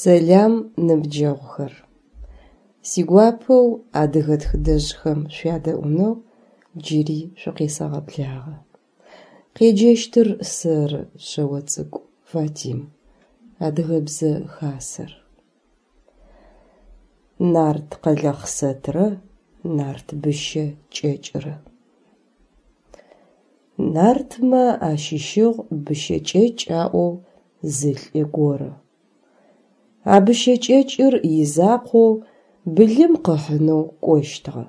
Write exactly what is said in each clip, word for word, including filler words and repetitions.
Сэлам, ныбджэгъухэр! Сигуапэу адыгэ тхыдэжъхэм шъуядэӏунэу джыри шъукъесэгъэблагъэ. Къеджэщтыр сэры, Шъэоцӏыкӏу Фатим, Адыгэбзэ Хасэр. Нарт Къэлэхъсэтрэ нарт Быщэ кӏэкӏрэ. Нартмэ ащыщыгъ Быщэ кӏэкӏ аӏоу зы лӏы горэ. А Быщэ кӏэкӏыр изакъоу былым къыхьынэу кӏощтыгъэ.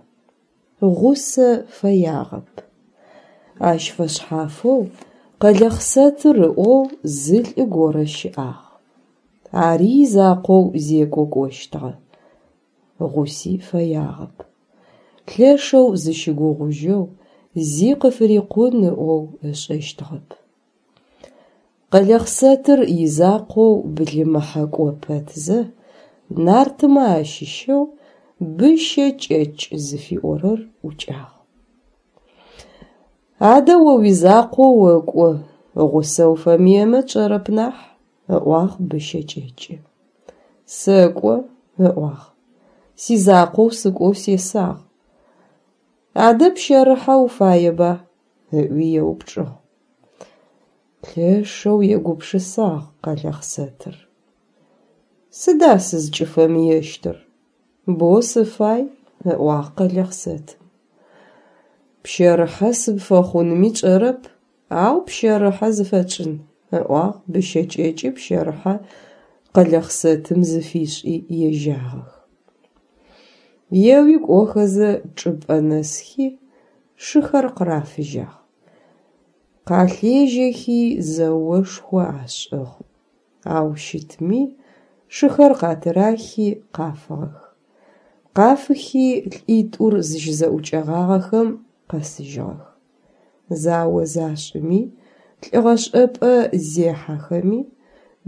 Гъусэ фэягъэп. Ащ фэшъхьафэу Къэлэхъсэтыр ыӏоу зы лӏы горэ щыӏагъ. Ари изакъоу зекӏо кӏощтыгъэ. Гъуси фэягъэп. Лъэшэу зыщыгугъужьэу, зи къыфырикъун ыӏоу ышӏэщтыгъэп. Къэлэхъсэтыр изакъоу былымыхьэ кӏо пэтзэ, нартмэ ащыщэу Быщэ кӏэкӏ зыфиӏорэр ӏукӏагъ. Адэ о уизакъоу окӏо, гъусэ уфэмыемэ тшӏэрэп нахь, ыӏуагъ Быщэ кӏэкӏы. Сэкӏо, ыӏуагъ. Сизакъоу сыкӏоу сесагъ. Адэ пщэрыхьэ уфаеба? Ыӏуи еупчӏыгъ. Лъэшэу егупшысагъ Къэлэхъсэтыр. Сыда сызкӏыфэмыещтыр? Боу сыфай, ыӏуагъ Къэлэхъсэтым. Пщэрыхьэ сыпфэхъунми тшӏэрэп, ау пщэрыхьэ зыфэтшӏын, ыӏуагъ Быщэ кӏэкӏы пщэрыхьэ Къэлэхъсэтым зыфишӏи ежьагъэх. Еуи кӏохэзэ чӏыпӏэ нэсхи, шыхэр къырафыжьагъ. Къалъежьэхи зэошхо ашӏыгъ. Ау щытми шыхэр къатырахи къафыгъэх. Къафыхи лӏитӏур зыщызэӏукӏэгъагъэхэм къэсыжьыгъэх. Зао зашӏыми, лӏыгъэшӏэпӏэ зехьэхэми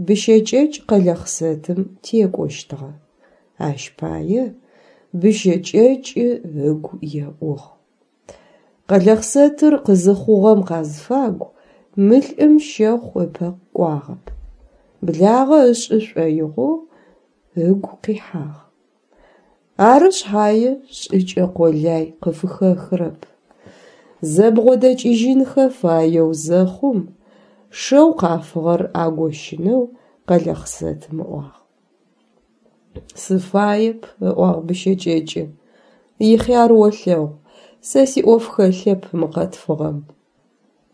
Быщэ кӏэкӏ Къэлэхъсэтым текӏощтыгъэ. Ащ пае Быщэ кӏэкӏы ыгу еӏугъ. Къэлэхъсэтыр къызыхъугъэм къазфагу мы лӏым щэхъу ыпэ кӏуагъэп. Благъэ ышӏы шӏоигъоу ыгу къихьагъ. Ары шъхьае шӏыкӏэ къолай къыфыхэхырэп. Зэбгъодэкӏыжьынхэ фаеу зэхъум, шэу къафыгъэр агощынэу Къэлэхъсэтым ыӏуагъ. Сыфаеп, ыӏуагъ Быщэ кӏэкӏы. Ихъяр олъэгъу, сэ сиӏоф хэлъэп мы къэтфыгъэм.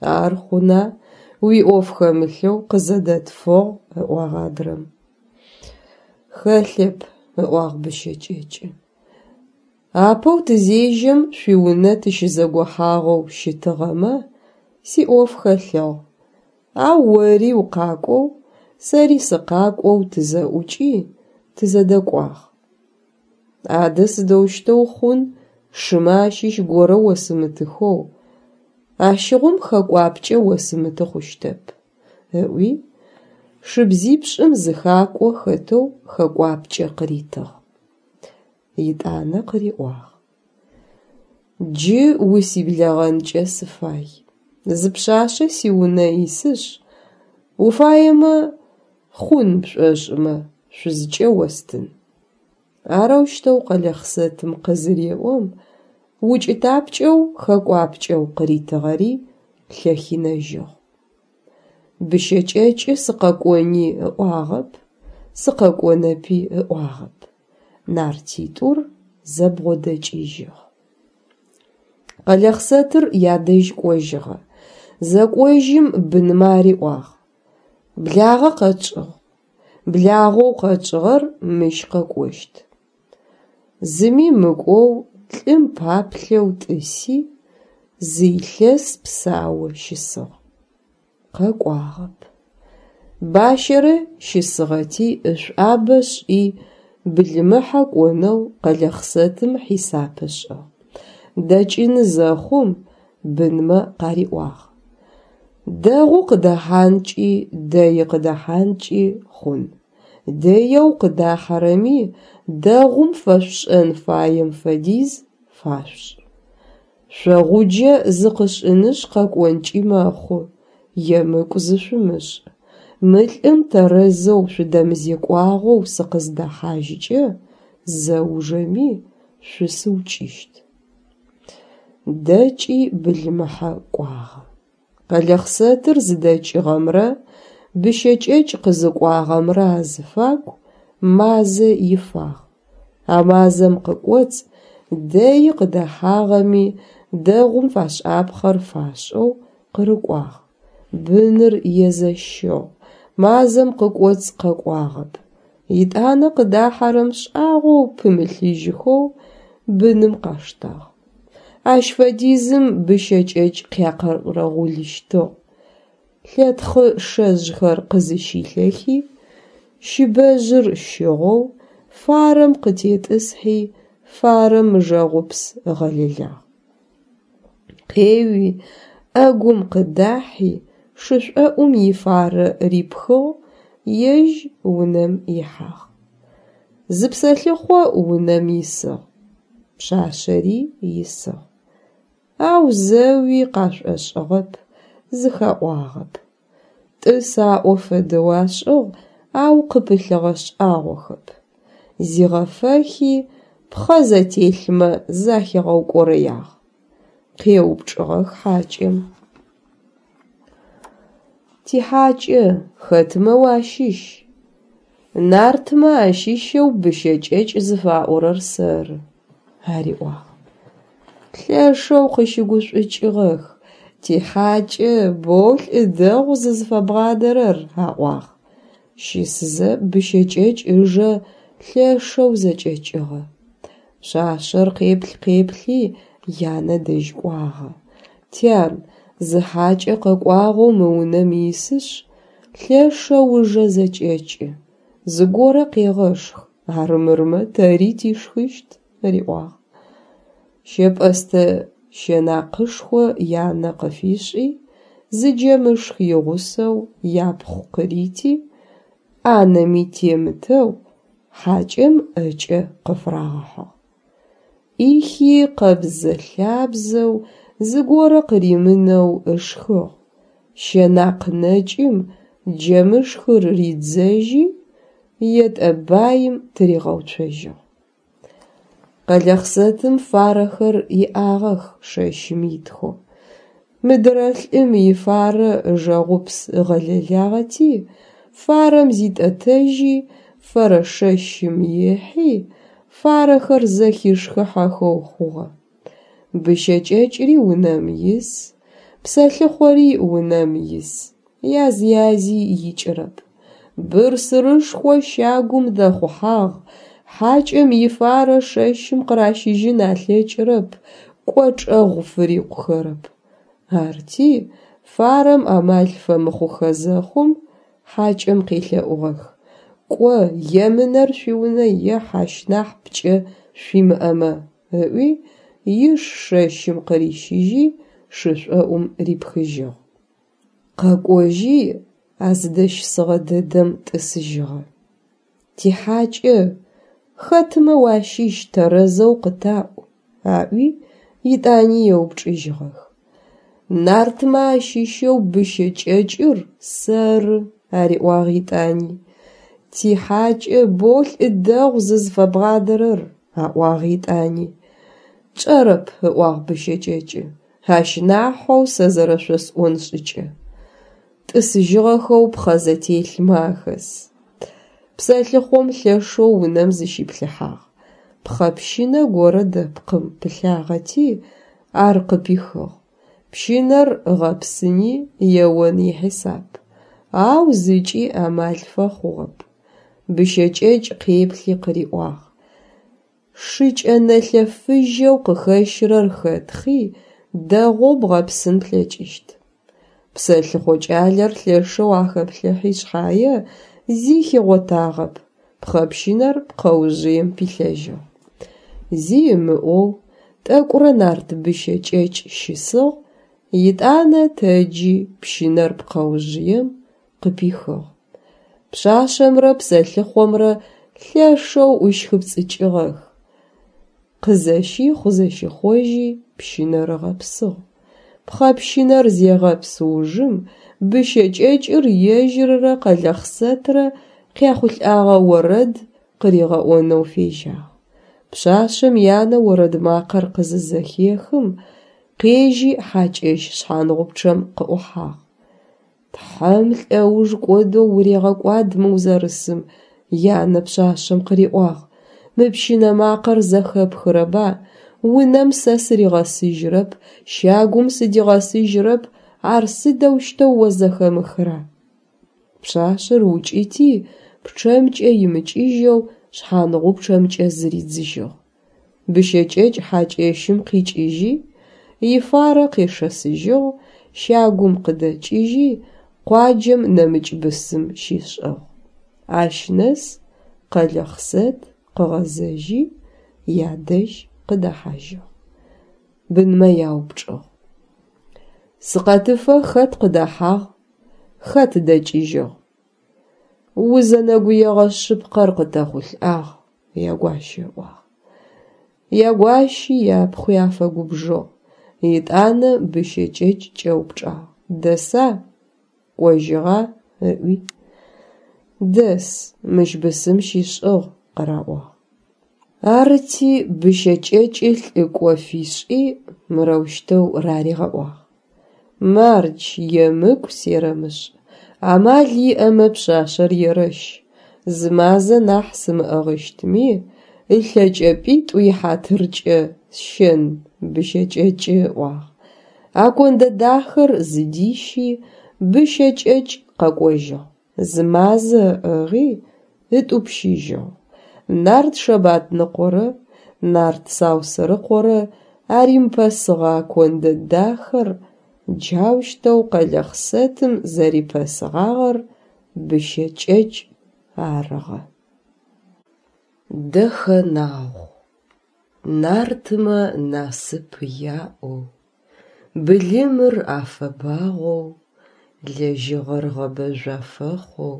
Ар хъуна, уиӏоф хэмылъэу къызэдэтфыгъ, ыӏуагъ адрэм. Хэлъэп, ыӏуагъ Быщэ кӏэкӏы. Апэу тызежьэм шъуиунэ тыщызэгохьагъэу щытыгъэмэ, сиӏоф хэлъыгъ, ау ори укъакӏоу, сэри сыкъакӏоу тызэӏукӏи, тызэдэкӏуагъ. Адэ сыдэущтэу хъун шымэ ащыщ горэ осымытыхэу, ащыгъум хэкӏуапкӏэ осымыты хъущтэп, ыӏуи, шыбзипшӏым зы хакӏо хэтэу хэкӏуапкӏэ къыритыгъ. Етӏанэ къыриӏуагъ: Джы усиблэгъэнкӏэ сыфай. Зы пшъашъэ сиунэ исышъ, уфаемэ, хъун пшӏошӏымэ, шъузкӏэ остын. Арэущтэу Къэлэхъсэтым къызыреӏом, укӏытапкӏэу хэкӏуапкӏэу къыритыгъэри лъэхинэжьыгъ. Быщэ кӏэкӏы сыкъэкӏони ыӏуагъэп, сыкъэкӏонэпи ыӏуагъэп. Нартитӏур зэбгъодэкӏыжьыгъ. Къэлэхъсэтыр ядэжь кӏожьыгъэ. Зэкӏожьым бынмэ ариӏуагъ: Благъэ къэтшӏыгъ. Благъэу къэтшӏыгъэр мыщ къэкӏощт. Зыми мыкӏоу лӏым паплъэу тӏыси, зы илъэс псау щысыгъ. Къэкӏуагъэп. Бащэрэ щысыгъэти ышӏуабэ шӏи былымыхьэ кӏонэу Къэлэхъсэтым хьисап ышӏыгъ. Дэкӏыны зэхъум бынмэ къариӏуагъ: Дэгъу къыдэхьанкӏи дэи къыдэхьанкӏи хъун. Дэеу къыдахьэрэми дэгъум фэшъушӏэн фаем фэдиз фашъушӏ. Шъогъуджэ зыкъышӏынышъ къэкӏонкӏи мэхъу, емыкӏу зышъумышӏ. Мы лӏым тэрэзэу шъудэмызекӏуагъэу сыкъыздэхьажькӏэ, зэужэми шъусыукӏыщт. Дэкӏи былымыхьэ кӏуагъэ. Къэлэхъсэтыр зыдэкӏыгъэмрэ Быщэ кӏэкӏ къызыкӏуагъэмрэ азыфагу мазэ ифагъ. А мазэм къыкӏоцӏ дэи къыдэхьагъэми, дэгъум фашӏапхъэр фашӏэу къырыкӏуагъ. Быныр езэщыгъ, мазэм къыкӏоцӏ къэкӏуагъэп. Етӏанэ къыдахьэрэм шӏагъоу пымылъыжьхэу быным къаштагъ. Ащ фэдизым Быщэ кӏэкӏ къякъэрэгъулыщтыгъ. Лъэтхъы шэжъхэр къызыщилъэхи, щыбэжъыр щыгъэу, фарэм къытетӏысхьи, фарэм ыжэгъупс ыгъэлэлагъ. Къеуи, ӏэгум къыдахьи, шышӏоӏум ифарэ рипхыгъ, ежь унэм ихьагъ. Зы псэлъыхъо унэм исыгъ, пшъашъэри исыгъ. Ау зэуи къашӏошӏыгъэп, зыхаӏуагъэп. Тӏыс аӏо фэдэу ашӏыгъ, ау къыпылъыгъэ шӏагъохэп. Зигъэфэхи, пхъэ зэтелъмэ захигъэукӏорэягъ. Къеупчӏыгъэх хьакӏэм: Тихьакӏэ, хэтмэ уащыщ? Нартмэ ащыщэу Быщэ кӏэкӏ зыфаӏорэр сэры, ариӏуагъ. Лъэшэу къыщыгушӏукӏыгъэх: Тихьакӏэ, боу лӏы дэгъу зызыфэбгъадэрэр, аӏуагъ. Щысызэ Быщэ кӏэкӏ ыжэ лъэшэу зэкӏэкӏыгъэ. Пшъашъэр къеплъ-къеплъи янэ дэжь кӏуагъэ: Тян, зы хьакӏэ къэкӏуагъэу мы унэм исышъ, лъэшэу ыжэ зэкӏэкӏы, зыгорэ къегъэшх, армырмэ тэри тишхыщт, риӏуагъ. Щэпӏэстэ щэнакъышхо янэ къыфишӏи, зы джэмышх игъусэу япхъу къырити, ӏанэми темытэу, хьакӏэм ӏэкӏэ къыфырагъэхьыгъ. ӏихи къэбзэ-лъабзэу, зыгорэ къыримынэу ышхыгъ, щэнакъ нэкӏым джэмышхыр ридзэжьи, етӏэ баим тыригъэуцожьыгъ. Къэлэхъсэтым фарэхэр иӏагъэх шэщым итхэу. Мыдырэ лӏым ифарэ ыжэгъупс ыгъэлэлагъэти, фарэм зитӏэтэжьи, фэрэ шэщым ехьи, фарэхэр зэхишхыхьэхэу хъугъэ. Быщэ кӏэкӏри унэм ис, псэлъыхъори унэм ис, яз-язи икӏырэп. Бырсырышхо щагум дэхъухьагъ, хьакӏэм ифарэ шэщым къыращыжьын алъэкӏырэп, кӏочӏэгъу фырикъухэрэп. Арти фарэм амал фэмыхъухэ зэхъум, хьакӏэм къелъэӏугъэх: «Кӏо, емынэр шъуиунэ ехь ащ нахь пкӏэ шъуимыӏэмэ», ыӏуи, иш шэщым къырищыжьи, шышӏоӏум рипхыжьыгъ. Къэкӏожьи а зыдэщысыгъэ дэдэм тӏысыжьыгъэ. Тихьакӏэ, хэтмэ уащыщ тэрэзэу къытаӏу, аӏуи, етӏани еупчӏыжьыгъэх. Нартмэ ащыщэу Быщэ кӏэкӏыр сэры, ариӏуагъ етӏани. Тихьакӏэ, боу лӏы дэгъу зызыфэбгъадэрэр, аӏуагъ етӏани. Тшӏэрэп, ыӏуагъ Быщэ кӏэкӏы, ащ нахьэу сэ зэрэшъосӏон шӏыкӏэ. Тӏысыжьыгъэхэу пхъэ зэтелъмэ ахэс. Псэлъыхъом лъэшэу унэм зыщиплъыхьагъ. Пхъэ пщынэ горэ дэпкъым пылъагъэти, ар къыпихыгъ. Пщынэр ыгъэпсыни еон ихьисап, ау зыкӏи амал фэхъугъэп. Быщэ кӏэкӏ къеплъи къыриӏуагъ: Шыкӏэ нэлъэ фыжьэу къыхэщырэр хэтхъи, дэгъоу бгъэпсын плъэкӏыщт. Псэлъыхъо кӏалэр лъэшэу ахэплъыхьи шъхьае, зи хигъотагъэп, пхъэ пщынэр пкъэужъыем пилъэжьыгъ. Зи ымыӏоу, тӏэкӏурэ нарт Быщэ кӏэкӏ щысыгъ, етӏанэ тэджи пщынэр пкъэужъыем къыпихыгъ. Пшъашъэмрэ псэлъыхъомрэ лъэшэу Пхъэпщынэр зегъэпс ужым Быщэ кӏэкӏыр ежьыррэ Къэлэхъсэтрэ къяхъулӏагъэ орэд къыригъэӏонэу фежьагъ. Пшъашъэм янэ орэд макъэр къызызэхехым, къежьи хьакӏэщ шъхьангъупчъэм къыӏухьагъ. Тхьэм лӏэуж кӏодэу урегъэкӏуад мы узэрысым, янэ пшъашъэм къыриӏуагъ. Мы пщынэ макъэр зэхэпхырэба? Унэм сэ сыригъэсыжьырэп, щагум сыдигъэсыжьырэп, ар сыдэущтэу о зэхэмыхыра? Пшъашъэр укӏыти пчъэмкӏэ имыкӏыжьэу шъхьангъупчъэмкӏэ зыридзыжьыгъ. Быщэ кӏэкӏ хьакӏэщым къикӏыжьи, ифарэ къешэсыжьыгъ, щагум къыдэкӏыжьи, къуаджэм нэмыкӏ бысым щишӏыгъ. Ащ нэс Къэлэхъсэт къыгъэзэжьи, ядэжь къыдэхьажьыгъ. Бынмэ яупчӏыгъ: Сыкъэтыфэ хэт къыдэхьагъ, хэт дэкӏыжьыгъ? Узэнэгуегъэ шъыпкъэр къытэхъулӏагъ, ягуащэ ыӏуагъ. Ягуащи япхъуи афэгубжыгъ. Етӏанэ Быщэ кӏэкӏ кӏэупчӏагъ: Дэса, кӏожьыгъа? Ыӏуи. Дэс, мыщ бысым щишӏыгъ, къыраӏуагъ. Арыти, Быщэ кӏэкӏы лӏыкӏо фишӏи мырэущтэу раригъэӏуагъ: Мардж, емыкӏу серэмышӏ, амал иӏэмэ пшъашъэр ерэщ, зы мазэ нахь сымыӏыгъыщтми, ылъэкӏэпӏитӏу ихьатыркӏэ сщэн, Быщэ кӏэкӏы ыӏуагъ. А кондэ дахэр зыдищи, Быщэ кӏэкӏ къэкӏожьыгъ. Зы мазэ ыӏыгъи, ытӏупщыжьыгъ. Нарт Шэбатныкъорэ нарт Саусэрыкъорэ аримыпэсыгъэ кондэ дахэр джаущтэу Къэлэхъсэтым зэрипэсыгъагъэр Быщэ кӏэкӏ арыгъэ. Дэхэнагъу. Нартмэ насып яӏэу, былымыр афэбагъоу, лэжьыгъэр гъэбэжъу афэхъоу,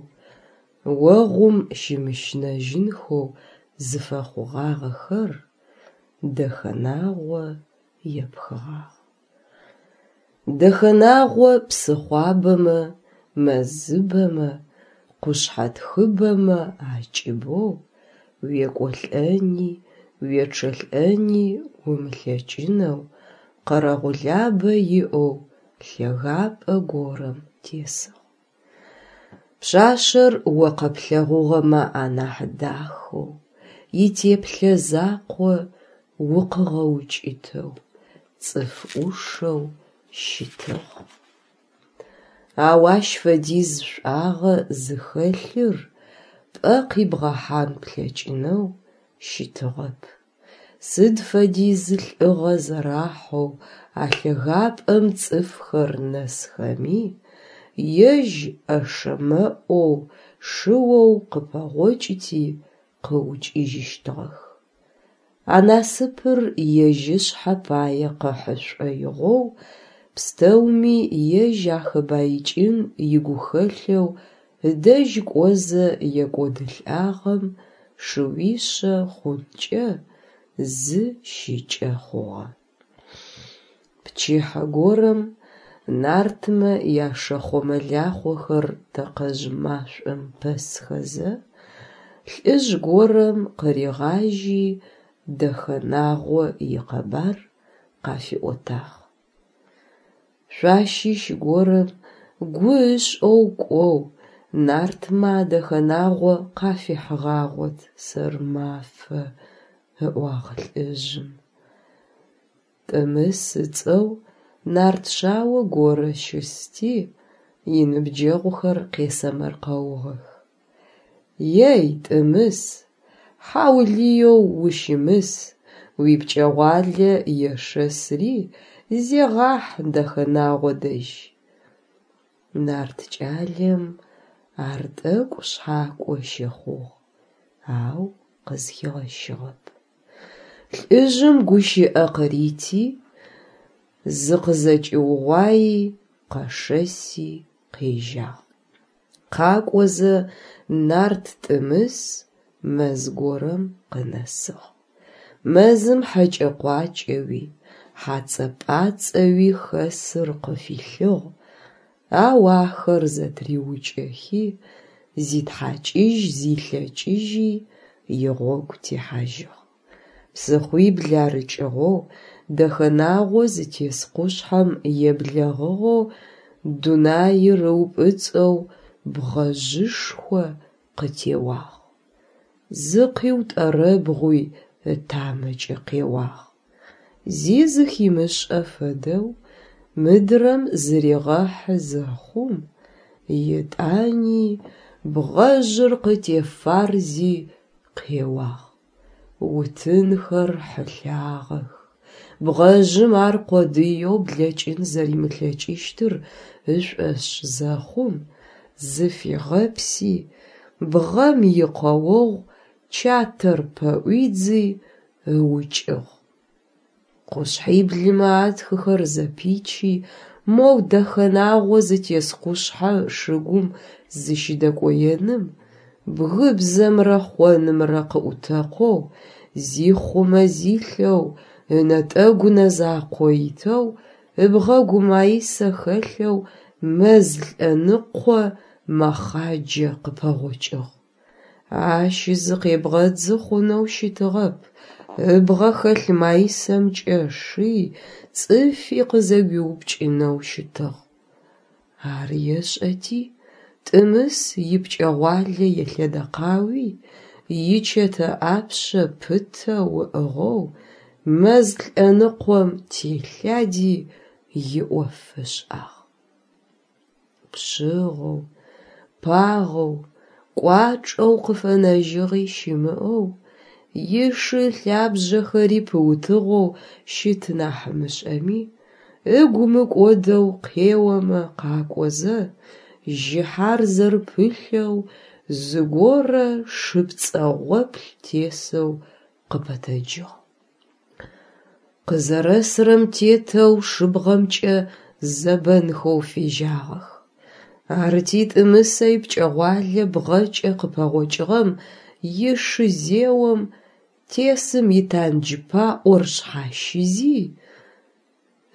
огъум щымыщынэжьынхэу зыфэхъугъагъэхэр Дэхэнагъо епхыгъагъ. Дэхэнагъо псыхъуабэмэ, мэзыбэмэ, къушъхьэтхыбэмэ акӏыбэу уекӏолӏэни уечъэлӏэни умылъэкӏынэу къэрэгъулабэ иӏэу лъэгапӏэ горэм тесыгъ. Пшъашъэр о къэплъэгъугъэмэ анахь дахэу, итеплъэ закъо укъыгъэукӏытэу, цӏыф ӏушэу щытыгъ. Ау ащ фэдиз шӏуагъэ зыхэлъыр пӏэ къибгъэхьан плъэкӏынэу щытыгъэп. Сыд фэдиз лӏыгъэ зэрахьэу а лъэгапӏэм цӏыфхэр нэсхэми, ежь ӏэшэ-мэӏоу, шыоу къыпэгъокӏыти къыукӏыжьыщтыгъэх. А насыпыр ежь ышъхьэ пае къыхьы шӏоигъоу, пстэуми ежь ахэбаикӏын игухэлъэу ыдэжь кӏозэ екӏодылӏагъэм шыуишъэ хъункӏэ зы щыкӏэ хъугъэ. Пчыхьэ горэм нартмэ яшэхъо-мэлахъохэр тэкъэжъ машӏом пэсхэзэ, лӏыжъ горэм къыригъажьи Дэхэнагъо икъэбар къафиӏотагъ. Шъуащыщ горэм гу ышӏэу кӏоу нартмэ а Дэхэнагъо къафихьыгъагъот сэрмафэ, ыӏуагъ лӏыжъым. Тӏымыс ыцӏэу нарт шъао горэ щысти, иныбджэгъухэр къесэмэркъэугъэх: Ей, Тӏымыс, хьаулыеу ущымыс, уипкӏэгъуалэ ешэсри зегъахь Дэхэнагъо дэжь. Нарт кӏалэм ар тӏэкӏу шъхьакӏо щыхъугъ, ау къызхигъэщыгъэп. Лӏыжъым гущыӏэ къырити, зыкъызэкӏиугъуаи къэшэси къежьагъ. Къакӏозэ нарт Тӏымыс мэз горэм къынэсыгъ. Мэзым хьэкӏэ-къуакӏэуи, Хьацӏэ-пӏацӏэуи хэсыр къыфилъыгъ, ау ахэр зэтыриукӏэхи, зитхьакӏыжь-зилъэкӏыжьи игъогу техьажьыгъ. Псыхъуибл арыкӏыгъэу, Дэхэнагъо зытес къушъхьэм еблэгъыгъэу дунаир ыупӏыцӏэу бгъэжъышхо къытеуагъ. Зыкъиутӏэрэбгъуи ытамэкӏэ къеуагъ. Зи зыхимышӏэ фэдэу мыдрэм зыригъэхьы зэхъум, етӏани бгъэжъыр къытефарзи къеуагъ. Утынхэр хьылъагъэх. Бгъэжъым ар къодыеу блэкӏын зэримылъэкӏыщтыр ышӏошъ зэхъум, зыфигъэпси, бгъэм икъэогъу чатэр пэӏуидзи ыукӏыгъ. Къушъхьиблымэ атхыхэр зэпичи, моу Дэхэнагъо зытес къушъхьэ шыгум зыщыдэкӏоеным, бгыбзэмрэ хъонымрэ къыӏутэкъоу, зихъумэ-зилъэу, ынэтӏэгу нэ закъо итэу, ыбгъэгу маисэ хэлъэу мэз лӏэныкъо мэхъаджэ къыпэгъокӏыгъ. Ащ зыкъебгъэдзы хъунэу щытыгъэп, ыбгъэ хэлъ маисэмкӏэ ши, цӏыфи къызэгуиупкӏынэу щытыгъ. Ар ешӏэти, Тӏымыс ипкӏэгъуалэ елъэдэкъауи, ичэтэ ӏапшъэ пытэу ыӏыгъэу мэз лӏэныкъом телъади иӏоф ышӏагъ. Пшъыгъэу, пагъэу, кӏуачӏэу къыфэнэжьыгъи щымыӏэу, ишы ылъабжъэхэри пыутыгъэу щыт нахь мышӏэми, ыгу мыкӏодэу къеомэ къакӏозэ, жьыхьарзэр пылъэу зыгорэ шы пцӏэгъоплъ тесэу къыпэтэджыгъ. Къызэрэсырэм тетэу шыбгъэмкӏэ зэбэнхэу фежьагъэх. Арыти, Тӏымысэ ипкӏэгъуалэ бгъэкӏэ къыпэгъокӏыгъэм ишы зеом, тесым итандж паӏор шъхьащизи,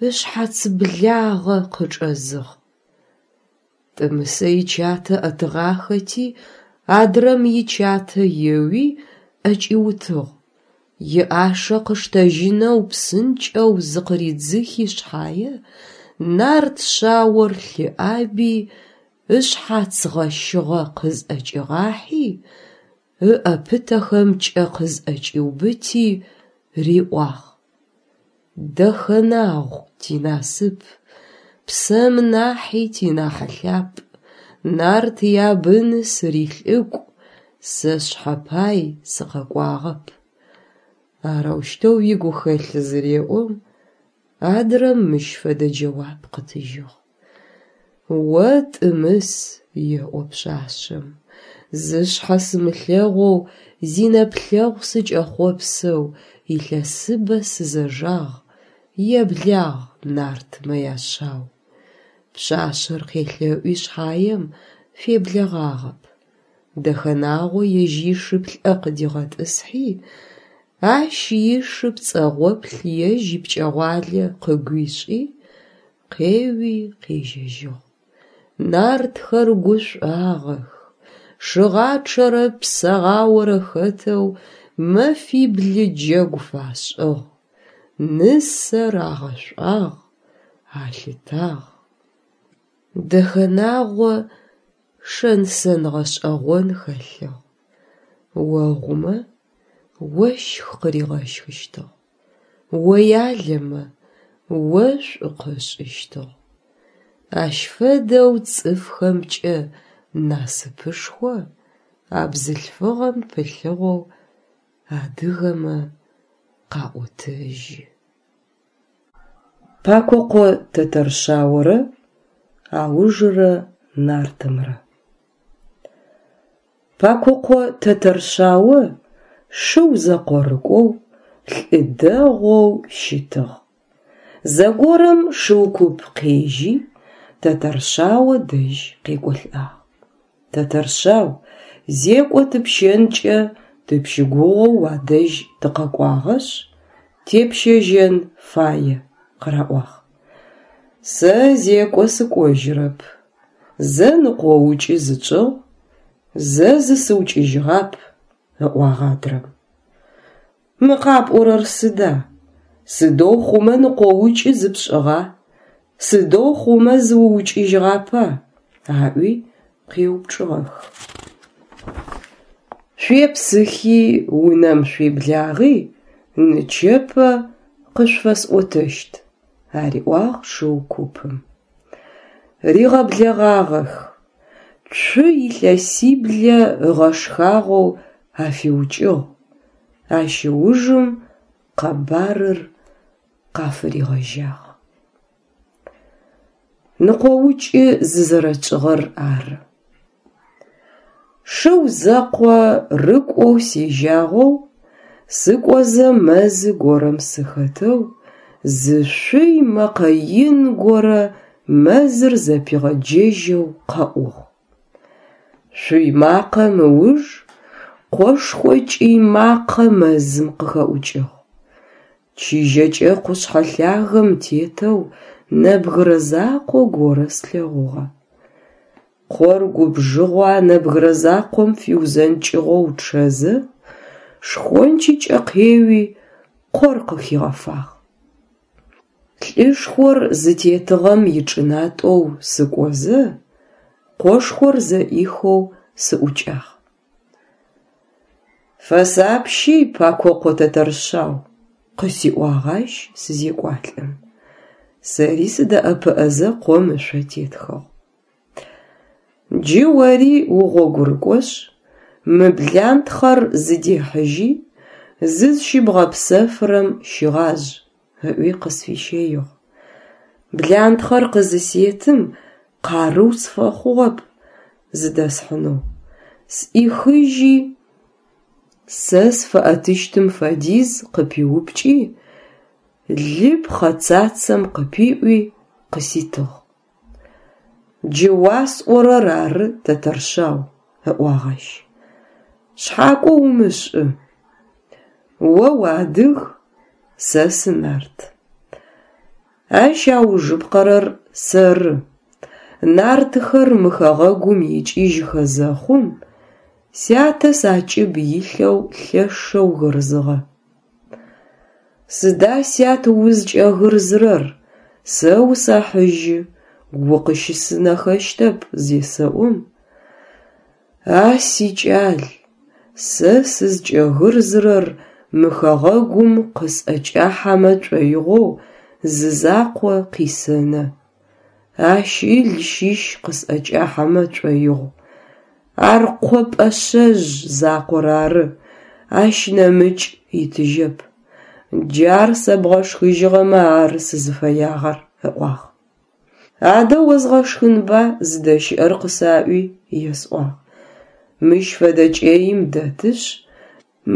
ышъхьац благъэ къычӏэзыгъ. Тӏымысэ ичатэ ӏэтыгъахэти, адрэм ичатэ еуи ӏэкӏиутыгъ. Иӏашэ къыштэжьынэу псынкӏэу зыкъыридзыхи шъхьае, нарт шъаор лъыӏаби, ышъхьац гъэщыгъэ къызӏэкӏигъахьи, ыӏэ пытэхэмкӏэ къызӏэкӏиубыти, риӏуагъ: «Дэхэнагъу, тинасып, псэм нахьи тинахь лъапӏ, нарт ябыны сырилӏыкӏу, сэ сшъхьэ пай сыкъэкӏуагъэп». Арэущтэу игухэлъ зыреӏом, адрэм мыщ фэдэ джэуап къытыжьыгъ: «О Тӏымыс, – еӏо пшъашъэм, – зышъхьэ сымылъэгъоу, зинэплъэгъу сыкӏэхъопсэу илъэсыбэ сызэжагъ, еблагъ нартмэ яшъау». Пшъашъэр къелъэӏуи шъхьаем, феблэгъагъэп. Дэхэнагъо ежь ишы плӏэ къыдигъэтӏысхьи, ащ ишы пцӏэгъоплъ ежь ипкӏэгъуалэ къыгуишӏи, къеуи къежьэжьыгъ. Нартхэр гушӏуагъэх, шыгъачъэрэ псэгъаорэ хэтэу мэфибл джэгу фашӏыгъ, нысэр агъэшӏуагъ, алъытагъ. Дэхэнагъо шэн-сэн гъэшӏэгъон хэлъыгъ: огъумэ ощх къыригъэщхыщтыгъ, оялэмэ ошӏу къышӏыщтыгъ. Ащ фэдэу цӏыфхэмкӏэ насыпышхо а бзылъфыгъэм пылъыгъэу адыгэмэ къаӏотэжьы. Пакокъо Тэтэршъаорэ аужырэ нартымрэ. Пакокъо Тэтэршъао шыу зэкъорыкӏоу, лӏы дэгъоу щытыгъ. Зэгорэм шыу куп къежьи Тэтэршъао дэжь къекӏолӏагъ. Тэтэршъау, зекӏо тыпщэнкӏэ тыпщыгугъэу уадэжь тыкъэкӏуагъэшъ, тепщэжьэн фае. къыраӏуагъ. Сэ зекӏо сыкӏожьырэп. Зэ ныкъоукӏы зытшӏыгъ, зэ зысыукӏыжьыгъап, ыӏуагъ адрэм. Мы къапӏорэр сыда? Сыдэу хъумэ ныкъоукӏы зыпшӏыгъа? Сыдэу хъумэ зыуукӏыжьыгъапа? Аӏуи къеупчӏыгъэх. Шъуепсыхи унэм шъуеблагъи, нычэпэ къышъуфэсӏотэщт, ариӏуагъ шыу купым. Ригъэблэгъагъэх. Цу илъэсиблэ ыгъэшхагъэу афиукӏыгъ. Ащ ыужым къэбарыр къафыригъэжьагъ. Ныкъоукӏы зызэрэтшӏыгъэр ары. Шыу зэкъо рыкӏоу сежьагъэу, сыкӏозэ мэзы горэм сыхэтэу зы шъуй мэкъэ ин горэ мэзыр зэпигъэджэжьэу къэӏугъ. Шъуй макъэм ыуж къошхо кӏый макъэ мэзым къыхэӏукӏыгъ. Чыжьэкӏэ къушъхьэ лъагэм тетэу нэбгырэ закъо горэ слъэгъугъэ. Къор губжыгъэу а нэбгырэ закъом фиузэнкӏыгъэу чъэзэ, шхончыкӏэ къеуи, къор къыхигъэфагъ. Лӏышхор зытетыгъэм ичӏынатӏэу сыкӏозэ, къошхор зэӏихэу сыӏукӏагъ. Фэсапщи, Пакокъо Тэтэршъау, къысиӏуагъ ащ сызекӏуалӏэм. Сэри сыдэӏэпыӏэзэ къом ышъо тетхыгъ. Джы ори угъогурыкӏошъ, мы блантхъэр зыдехьыжьи, зызщыбгъэпсэфырэм щыгъажъ, ыӏуи къысфищэигъ. Блантхъэр къызысетым къарыу сфэхъугъэп зыдэсхьынэу. Сӏихыжьи, сэ сфэӏэтыщтым фэдиз къыпиупкӏи, лы пхъэцацэм къыпиӏуи къыситыгъ. Джы уасӏорэр ары, Тэтэршъау, ыӏуагъ ащ. Шъхьакӏо умышӏы. О уадыг, сэ сынарт. Ащ аужыпкъэрэр сэры. Нартхэр мы хэгъэгум икӏыжьхэ зэхъум, сятэ сакӏыб илъэу лъэшэу гырзыгъэ. Сыда, сят, узкӏэгырзырэр, сэ усэхьыжьы, укъыщысынэхэщтэп зесэӏом, а сикӏал, сэ сызкӏэгырзырэр мы хэгъэгум къысӏэкӏахьэмэ шӏоигъоу зы закъо къисэнэ. Ащ ыл щыщ къысӏэкӏахьэмэ шӏоигъу. Ар къо пӏэшъэжъ закъор ары, ащ нэмыкӏ итыжьэп. Джар сэбгъэшхыжьыгъэмэ ары сызыфэягъэр, ыӏуагъ. Адэ озгъэшхынба зыдэщыӏэр къысаӏуи, есӏуагъ. Мыщ фэдэ кӏэим дэтышъ,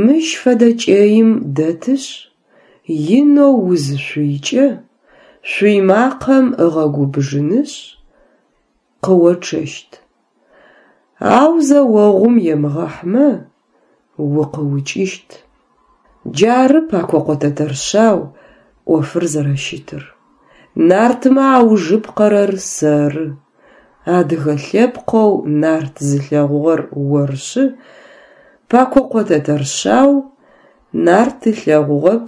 мыщ фэдэ кӏэим дэтышъ, инэу узышъуйкӏэ, шъуй макъэм ыгъэгубжынышъ, къыочъэщт. Ау зэогъум емыгъэхьмэ, укъыукӏыщт. Джары, Пакокъо Тэтэршъау, ӏофыр зэрэщытыр. Нартмэ аужыпкъэрэр сэры. Адыгэ лъэпкъэу нарт зылъэгъугъэр оршъы, Пакокъо Тэтэршъау, нарт ылъэгъугъэп,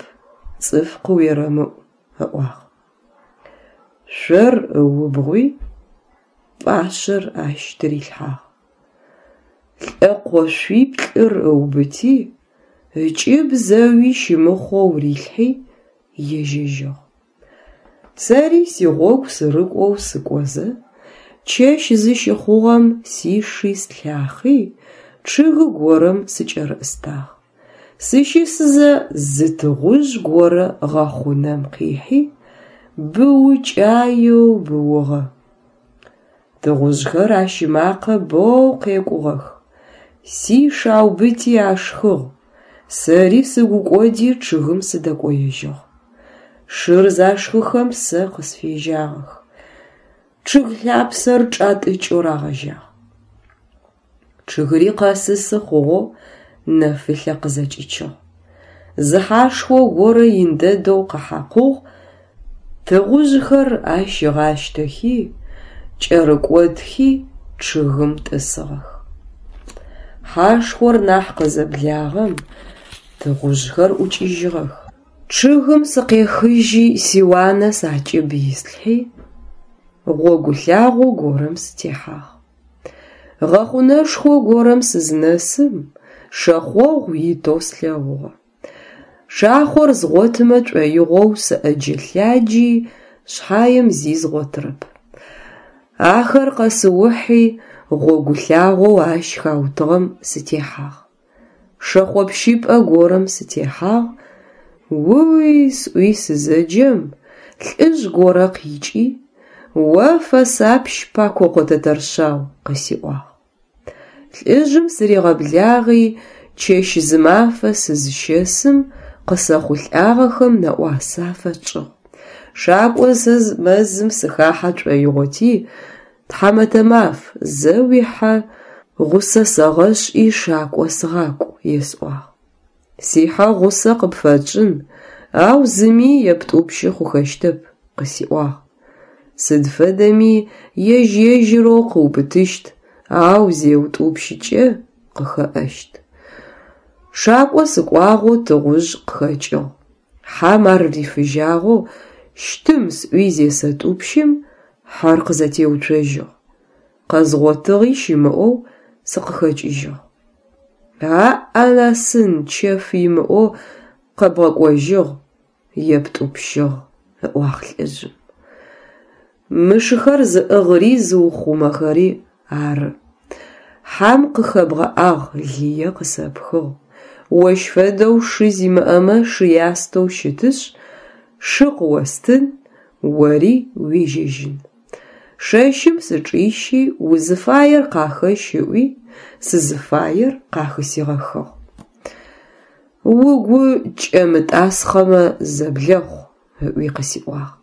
цӏыф къыуерэмыӏу, ыӏуагъ. Шъор ыубгъуи, пӏашъэр ащ тырилъхьагъ. Лӏэкъо шъуиплӏыр ыубыти, ыкӏыб зэуи щымыхъоу рилъхьи, ежьэжьыгъ. Сэри сигъогу сырыкӏоу сыкӏозэ, чэщ зыщыхъугъэм сиши слъахъи, чъыгы горэм сыкӏэрыӏыстагъ. Сыщысызэ зы тыгъужъ горэ гъэхъунэм къихьи, быукӏаеу быугъэ. Тыгъужъхэр ащ ымакъэ боу къекӏугъэх. Сиш аубыти ашхыгъ. Сэри сыгу кӏоди чъыгым сыдэкӏоежьыгъ. Шыр зашхыхэм сэ къысфежьагъэх. Чъыг лъапсэр чӏатӏыкӏэу рагъэжьагъ. Чъыгыри къэсысы хъугъэу нэфылъэ къызэкӏичыгъ. Зы хьашхо горэ ин дэдэу къэхьакъугъ, Тыгъужъхэр ащ ыгъащтэхи, кӏэрыкӏотхи чъыгым тӏысыгъэх. Хьашхор нахь къызэблагъэм, тыгъужъхэр ӏукӏыжьыгъэх. Чъыгым сыкъехыжьи сиуанэ сакӏыб ислъхьи, гъогу лъагъо горэм сытехьагъ. Гъэхъунэшхо горэм сызнэсым, шэхъогъу итэу слъэгъугъэ. Шахъор згъотымэ шӏоигъоу сыӏэджэ-лъаджи, шъхьаем зи згъотырэп. Ахэр къэсыухьи гъогу лъагъоу ащ хаутыгъэм сытехьагъ. Шэхъо пщыпӏэ горэм сытехьагъ, уи сӏуи сызэджэм, лӏыжъ горэ къикӏи, «О фэсапщ, Пакокъо Тэтэршъау», къысиӏуагъ. Лӏыжъым сыригъэблагъи чэщ-зымафэ сызщэсым къысэхъулӏагъэхэм нэӏуасэ афэтшӏыгъ. Шакӏозэ мэзым сыхахьэ шӏоигъоти, тхьамэтэ маф, зэ уихьэ гъусэ сэгъэшӏи шакӏо сыгъакӏу, есӏуагъ. Сихьэ гъусэ къыпфэтшӏын, ау зыми ептӏупщы хъухэщтэп, къысиӏуагъ. Сыд фэдэми ежь-ежьырэу къыубытыщт, ау зеутӏупщыкӏэ къыхэӏэщт. Шакӏо сыкӏуагъэу тыгъужъ къыхэкӏыгъ. Хьэм ар рифыжьагъэу щтым сӏуи зесэтӏупщым, хьэр къызэтеуцожьыгъ. Къэзгъотыгъи щымыӏэу сыкъыхэкӏыжьыгъ. Аӏ-анасын, чэф имыӏэу къэбгъэкӏожьыгъ, ептӏупщыгъ, ыӏуагъ лӏыжъым. Мы шыхэр зыӏыгъри зыухъумэхэри ары. Хьам къыхэбгъэӏагъ, лые къысэпхыгъ. Ощ фэдэу шы зимыӏэмэ шы ястэу щытышъ, шы къыостын, ори уежьэжьын. Шэщым сычӏищи узыфаер къахэщ ыӏуи, сызыфаер къахысигъэхыгъ. Угу кӏэмытӏасхъэмэ зэблэхъу, ыӏуи къысиӏуагъ.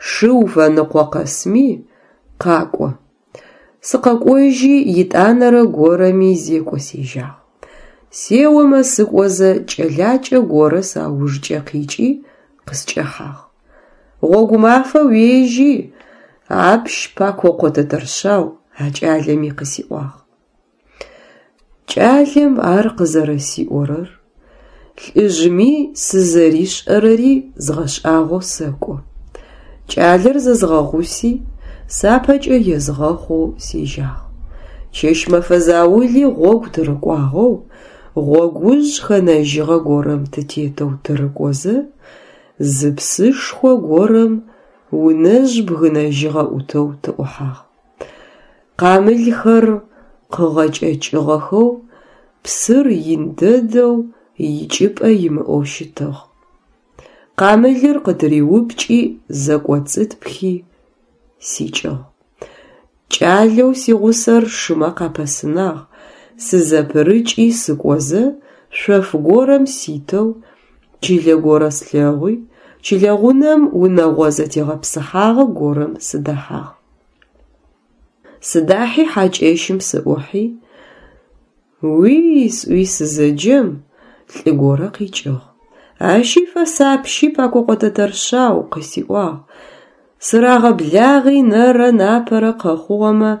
Шы уфэныкъо къэсми къакӏо. Сыкъэкӏожьи етӏанэрэ горэми зекӏо сежьагъ. Сеомэ сыкӏозэ кӏэлакӏэ горэ саужкӏэ къикӏи къыскӏэхьагъ. Гъогумафэ уежьи, апщ Пакокъо Тэтэршъау, а кӏалэми къысиӏуагъ. Кӏалэм ар къызэрэсиӏорэр, лӏыжъми сызэришӏэрэри згъэшӏагъоу сэкӏо. Кӏалэр зэзгъэгъуси, сапэкӏэ езгъэхъоу сежьагъ. Чэщ-мэфэ заули гъогу тырыкӏуагъэу, гъогужъ хэнэжьыгъэ горэм тытетэу тырыкӏозэ, зы псышхо горэм унэжъ бгынэжьыгъэ ӏутэу тыӏухьагъ. Къамылхэр къыгъэкӏэкӏыгъэхэу, псыр ин дэдэу икӏыпӏэ имыӏэу щытыгъ. Къамылыр къытыриупкӏи зэкӏоцӏытпхи сикӏыгъ. Кӏалэу сигъусэр шымэ къапэсынагъ, сызэпырыкӏи сыкӏозэ, шъоф горэм ситэу, чылэ горэ слъэгъуи, чылэ гъунэм унэгъо зэтегъэпсыхьагъэ горэм сыдэхьагъ. Сыдахьи хьакӏэщым сыӏухьи, уи сӏуи сызэджэм, лӏы горэ къикӏыгъ. Ащи фэсапщи Пакокъо Тэтэршъау, къысиӏуагъ. Сырагъэблагъи нэрэ напэрэ къэхъугъэмэ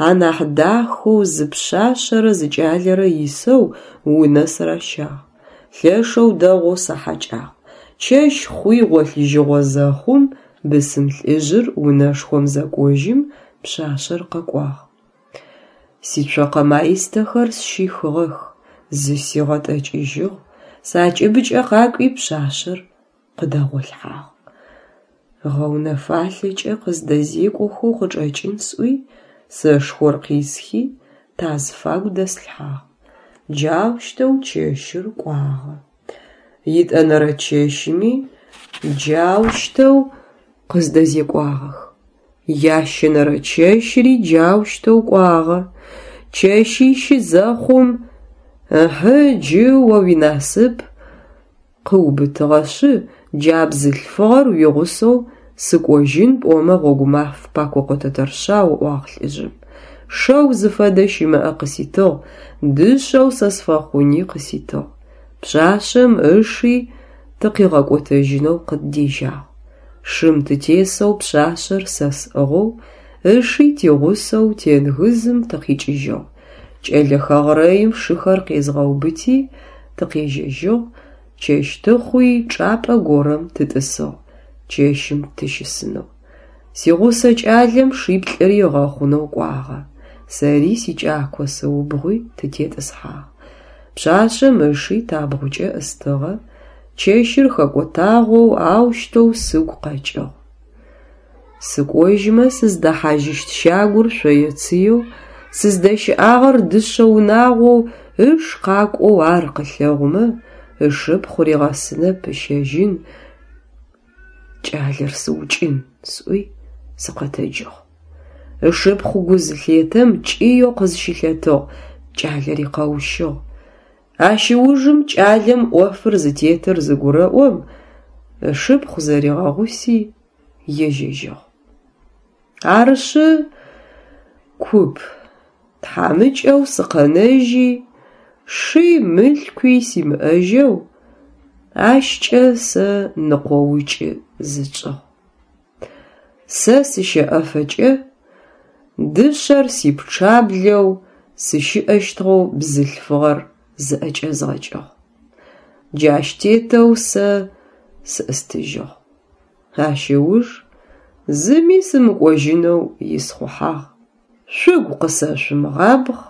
анахь дахэу зы пшъашъэрэ зы кӏалэрэ исэу унэ сыращагъ. Лъэшэу дэгъоу сахьакӏагъ. Чэщ хъуи гъолъыжьыгъо зэхъум, бысым лӏыжъыр унэшхом зэкӏожьым, пшъашъэр къэкӏуагъ. Сицокъэ маистэхэр сщихыгъэх, зысигъэтӏэкӏыжьыгъ, сакӏыбыкӏэ къакӏуи пшъашъэр къыдэгъолъхьагъ. Гъэунэфалъэкӏэ къыздэзекӏохэу къычӏэкӏын сӏуи, сэшхор къисхи тазфагу дэслъхьагъ. Джаущтэу чэщыр кӏуагъэ. Етӏэнэрэ чэщми джаущтэу къыздэзекӏуагъэх. Ящэнэрэ чэщри джаущтэу кӏуагъэ. Чэщищы зэхъум, ыхьы джы о уинасып къыубытыгъэшъы, джа бзылъфыгъэр уигъусэу сыкӏожьын пӏомэ гъогумаф, Пакокъо Тэтэршъау, ыӏуагъ лӏыжъым. Шэу зыфэдэ щымыӏэ къыситыгъ, дышъэу сэ сфэхъуни къыситыгъ. Пшъашъэм ыши тыкъигъэкӏотэжьынэу къыддежьагъ. Шым тытесэу пшъашъэр сэ сӏыгъэу, ыши тигъусэу тенгызым тыкъикӏыжьыгъ. Кӏэлэ хэгърэим шыхэр къезгъэубыти тыкъежьэжьыгъ, чэщ тыхъуи чӏапӏэ горэм тытӏысыгъ, чэщым тыщысынэу. Сигъусэ кӏалэм шиплӏыри ыгъэхъунэу кӏуагъэ, сэри сикӏако сыубгъуи тытетӏысхьагъ. Пшъашъэм ыши табгъукӏэ ӏыстыгъэ, чэщыр хэкӏотагъэу аущтэу сыгу къэкӏыгъ. Сыкӏожьмэ сыздэхьажьыщт щагур шъое-цыеу, сыздэщыӏагъэр дышъэ унагъоу ыш къакӏоу ар къылъэгъумэ, ышыпхъу ригъэсынэп ыщэжьын, кӏалэр сыукӏын, сӏуи сыкъэтэджыгъ. Ышыпхъу гу зылъетэм кӏыеу къызщылъэтыгъ, кӏалэри къэущыгъ. Ащ ыужым кӏалэм ӏофыр зытетыр зыгурэӏом, ышыпхъу зэригъэгъуси ежьэжьыгъ. Арышъы, куп, тхьамыкӏэу сыкъэнэжьи, ши мылъкуи симыӏэжьэу, ащкӏэ сэ ныкъоукӏы зытшӏыгъ. Сэ сыщэӏэфэкӏэ дышъэр сипчъаблэу сыщыӏэщтыгъэу бзылъфыгъэр зыӏэкӏэзгъэкӏыгъ. Джащ тетэу сэ сыӏыстыжьыгъ. Ащ ыуж зыми сымыкӏожьынэу исхъухьагъ. Шъугу къысэшъумыгъабгъ,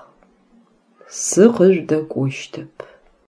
сыкъыжъудэкӏощтэп.